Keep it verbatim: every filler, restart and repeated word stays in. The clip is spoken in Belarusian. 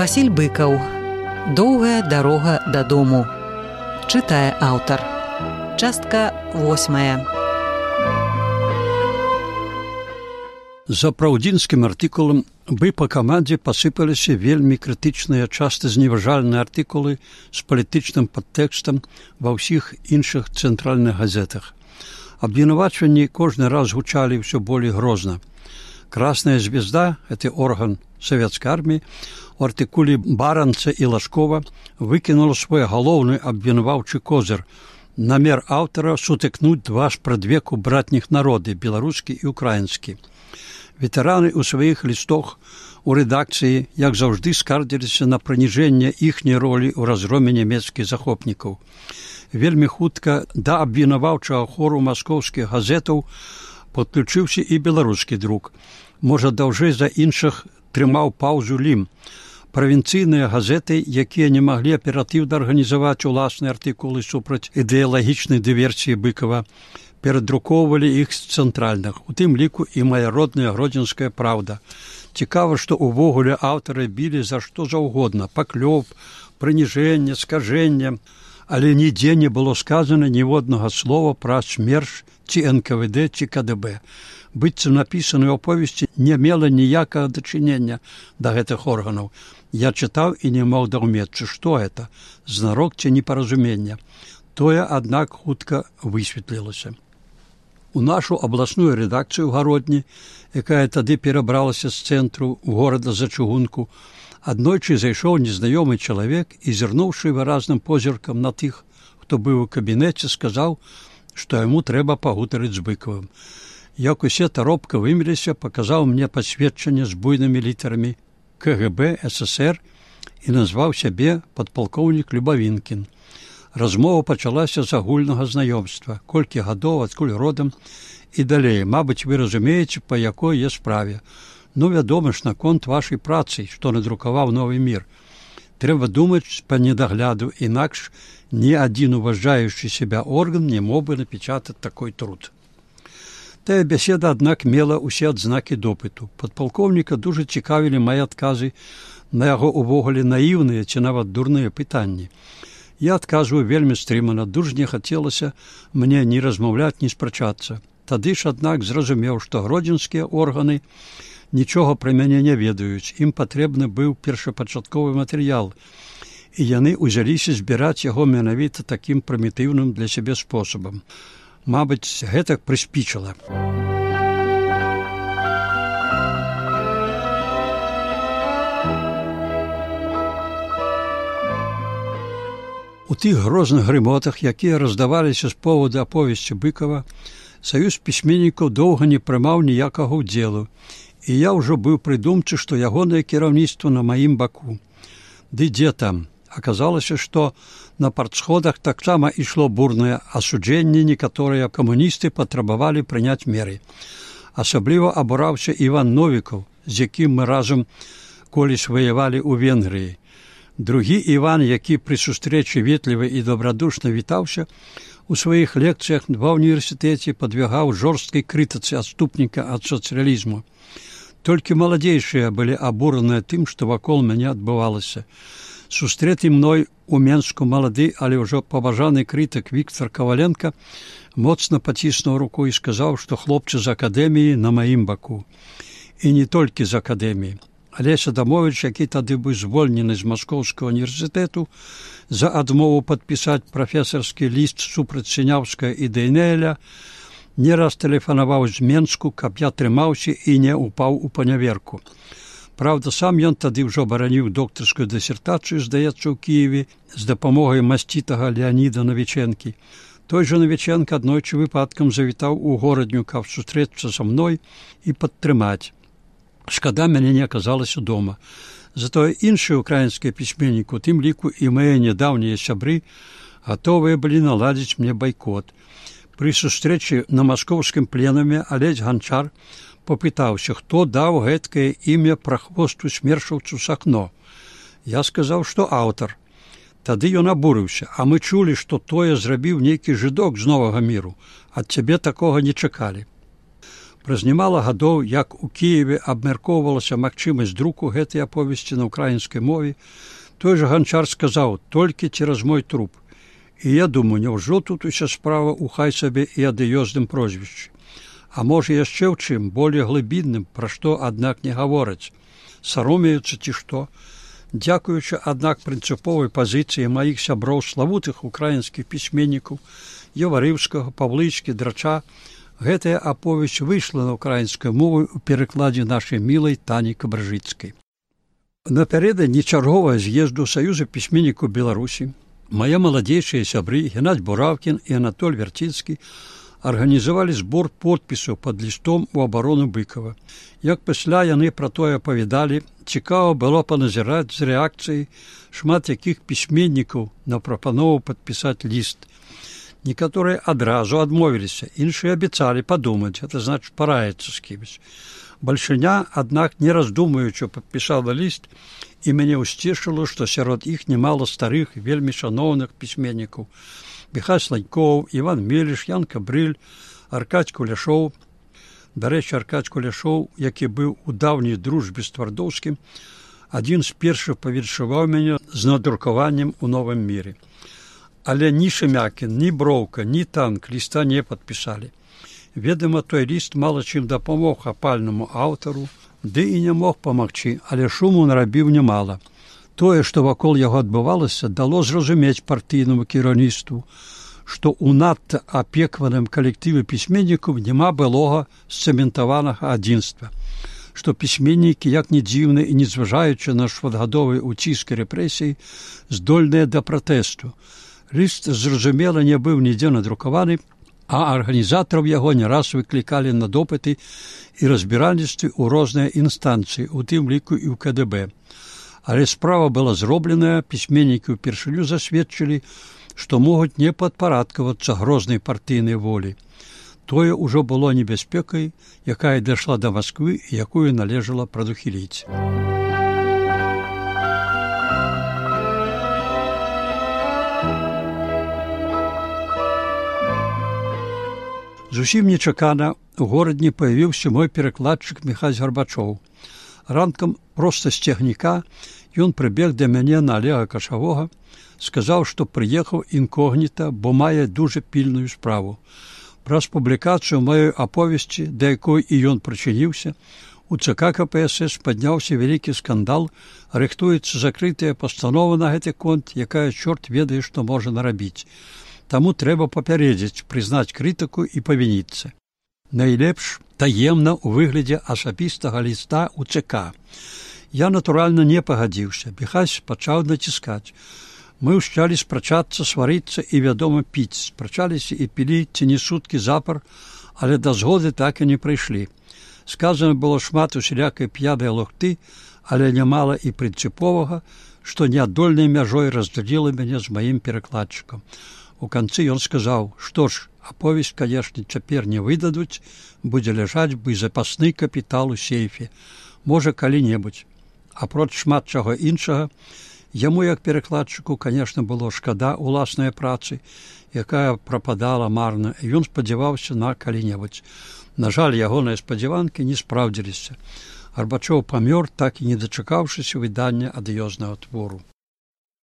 Васіль Быкаў. Доўгая дарога дадому. Чытае аўтар. Частка восьмая. За праўдзінскім артыкулам бы па камандзе пасыпаліся вельмі крытычныя, часта зневажальныя артыкулы з палітычным падтэкстам ва ўсіх іншых цэнтральных газетах. Абвінавачванні кожны раз гучалі ўсё болей грозна. Красная звезда, гэты орган савецкай арміі, у артыкуле Баранца і Лашкова выкінула свой галоўны абвінаваўчы козыр. Намер аўтара сутыкнуць два спрадвеку братніх народы, беларускі і украінскі. Ветэраны ў сваіх лістах у рэдакцыі, як заўжды, скардзіліся на прыніжэнне іхняй ролі ў разгроме нямецкіх захопнікаў. Вельмі хутка да абвінаваўчага хору маскоўскіх газетаў падключыўся і беларускі друк. Можа, даўжэй за іншых трымаў паўзу Лім. Правінцыйныя газеты, якія не маглі аператыўна арганізаваць уласныя артыкулы супраць ідэалагічнай дыверсіі Быкава, перадрукоўвалі іх з цэнтральных, у тым ліку і мая родная гродзенская праўда. Цікава, што ўвогуле аўтары білі за што заўгодна, паклёп, прыніжэнне, скажэнне, але нідзе не было сказана ніводнага слова пра смерч ці эн ка вэ дэ ці ка дэ бэ. Быццам напісаныя аповесці не мела ніякага дачынення да гэтых органаў. Я чытаў і не мог даўмецца, што гэта, знарок ці непаразумення. Тое, аднак, хутка высветлілася. У нашу абласную рэдакцыю ў Гародні, якая тады перабралася з цэнтру горада за чыгунку, аднойчы зайшоў незнаёмы чалавек і, зірнуўшы выразным позіркам на тых, хто быў у кабінеце, сказаў, што яму трэба пагутарыць з Быкавым. Як усе таропка вымеліся, паказаў мне пасведчанне з буйнымі літарамі ка гэ бэ эс эс ер і назваў сябе падпалкоўнік Любавінкін. Размова пачалася з агульнага знаёмства, колькі гадоў, адкуль родам і далей. Мабыць, вы разумееце, па якой є справе. Ну, вядома ж, наконт вашай працы, што надрукаваў «Новы мір». Трэба думаць па недагляду, інакш ні адзін уважаючы сябе орган не мог бы напечатаць такой труд. Тая бяседа, аднак, мела ўсе адзнакі допыту. Падпалкоўніка дужа цікавілі мае адказы на яго увогуле наіўныя ці нават дурныя пытанні. Я адказваю вельмі стрымана, дуж не хацелася мне ні размаўляць, ні спрачацца. Тады ж, аднак, зразумеў, што гродзенскія органы нічога пра мяне не ведаюць. Ім патрэбны быў першапачатковы матэрыял, і яны ўзяліся збіраць яго менавіта такім прымітыўным для сябе спосабам. Мабыць, гэтак прыспічыла. У тых грозных грымотах, якія раздаваліся з поводу аповесці Быкава, саюз пісьменнікаў доўга не прымаў ніякага ўдзелу, і я ўжо быў прыдумчы, што ягонае кіраўніцтва на маім баку. Ды дзе там? Аказалася, што на партсходах таксама ішло бурнае асуджэнне, некаторыя камуністы патрабавалі прыняць меры. Асабліва абураўся Іван Новікаў, з якім мы разам колісь ваявалі ў Венгрыі. Другі Іван, які пры сустрэчы ветліва і добрадушна вітаўся, у сваіх лекцыях ва ўніверсітэце падвяргаў жорсткай крытыцы адступніка ад сацыялізму. Толькі маладзейшыя былі абураныя тым, што вакол мяне адбывалася. Сустрэты мной у Менску малады, але ўжо паважаны крытык Віктар Каваленка моцна паціснуў руку і сказаў, што хлопцы з акадэміі на маім баку. І не толькі з акадэміі. Алесь Адамович, які тады быў звольнены з Маскоўскага універсітэту за адмову падпісаць прафесарскі ліст супраць Сіняўскага і Дэйнеля, не раз тэлефанаваў з Менску, каб я трымаўся і не упаў у паняверку. Праўда, сам ён тады ўжо бараніў доктарскую дысертацыю, здаецца, у Кіеве, з дапамогай масцітага Леаніда Навічэнкі. Той жа Навічэнка аднойчы выпадкам завітаў у горадню, каб сустрэцца са мной і падтрымаць. Шкада, мяне не аказалася дома. Затое іншыя украінскія пісьменнікі, у тым ліку і мае нядаўнія сябры, гатовыя былі наладзіць мне байкот. Пры сустрэчы на маскоўскім пленуме Алесь Ганчар попытаўся, хто даў гэткае імя прахвосту смершаўцу Сахно. Я сказаў, што аўтар. Тады ён абурыўся, а мы чулі, што тое зрабіў нейкі жыдок з Новага міру. Ад цябе такога не чакалі. Праз нямала гадоў, як у Кіеве абмяркоўвалася магчымасць друку гэтай аповесці на ўкраінскай мове, той жа Ганчар сказаў: «Толькі цераз мой труп». І я думаю, няўжо тут уся справа ў хай сабе і адыёзным прозвішчы? А можа яшчэ ў чым болей глыбінным, пра што, аднак, не гавораць? Саромеюцца ці што? Дзякуючы, аднак, прынцыповай пазіцыі маіх сяброў, славутых украінскіх пісьменнікаў Яварыўскага, Павлычкі, Драча, гэтая аповесць выйшла на ўкраінскую мову ў перакладзе нашай мілай Тані Кабржыцкай. Напярэдадні чарговага з'езду Саюза пісьменнікаў Беларусі мае маладзейшыя сябры Геннадзь Буравкін і Анатоль Вярціцкі арганізавалі збор подпісаў пад лістом у абарону Быкава. Як пасля яны пра тое апавядалі, цікава было паназіраць з рэакцыяй шмат якіх пісьменнікаў на прапанову падпісаць ліст. Некаторыя адразу адмовіліся, іншыя абяцалі падумаць, гэта значыць параіцца з кімось. Бальшыня, аднак, не раздумаючы, падпісала ліст, і мяне ўсцешыла, што сярод іх немала старых, вельмі шаноўных пісьменнікаў. Міхась Сланькоў, Іван Меліш, Ян Кабрыль, Аркадзь Куляшоў. Дарэчы, Аркадзь Куляшоў, які быў у даўняй дружбе з Твардоўскім, адзін з першых павіншаваў мяне з надрукаваннем у новым міры. Але ні Шемякін, ні Броўка, ні Танк ліста не падпісалі. Ведама, той ліст мала чым дапамог апальнаму аўтару, ды і не мог памагчы, але шуму нарабіў нямала. Тое, што вакол яго адбывалася, дало зразумець партыйнаму кіраўніцтву, што ў надта апекваным калектыве пісьменнікаў няма былога сцэментаванага адзінства, што пісьменнікі, як ні дзіўна і не зважаючы на шматгадовы ўціск і рэпрэсіі, здольныя да пратэсту. Ліст, зразумела, не быў нідзе надрукаваны, а арганізатараў яго не раз выклікалі на допыты і разбіральніцтвы ў розныя інстанцыі, у тым ліку і ў ка дэ бэ. Але справа была зробленая, пісьменнікі ўпершыню засведчылі, што могуць не падпарадкавацца грознай партыйнай волі. Тое ўжо было небяспекай, якая дайшла да Масквы і якую належала прадухіліць. Зусім нечакана у горадні паявіўся мой перакладчык Міхась Гарбачоў. Ранкам проста з цягніка ён прыбег да мяне на Алега Кашавога, сказаў, што прыехаў інкогніта, бо мае дужа пільную справу. Праз публікацыю маёй аповесці, да якой і ён прычыніўся, у ЦК ка пэ эс эс падняўся вялікі скандал, рыхтуецца закрытая пастанова на гэты конт, якая чорт ведае, што можа нарабіць. Таму трэба папярэдзіць, прызнаць крытыку і павініцца. Найлепш таемна ў выглядзе асабістага ліста ў ЦК. Я, натуральна, не пагадзіўся. Міхась пачаў націскаць. Мы ўсчалі спрачацца, сварыцца і, вядома, піць. Спрачаліся і пілі ці не суткі запар, але да згоды так і не прыйшлі. Сказана было шмат усялякай п'янай лухты, але нямала і прынцыповага, што неадольнай мяжой раздзяліла мяне з маім перакладчыкам. У канцы ён сказаў, што ж, аповесць, канешне, цяпер не выдадуць, будзе ляжаць бы запасны капітал у сейфе. Можа, калі-небудзь. Апроч шмат чаго іншага, яму, як перакладчыку, канешне, было шкада ўласнай працы, якая прападала марна, і ён спадзяваўся на калі-небудзь. На жаль, ягоныя спадзяванкі не спраўдзіліся. Гарбачоў памёр, так і не дачакаўшыся выдання адыёзнага твору.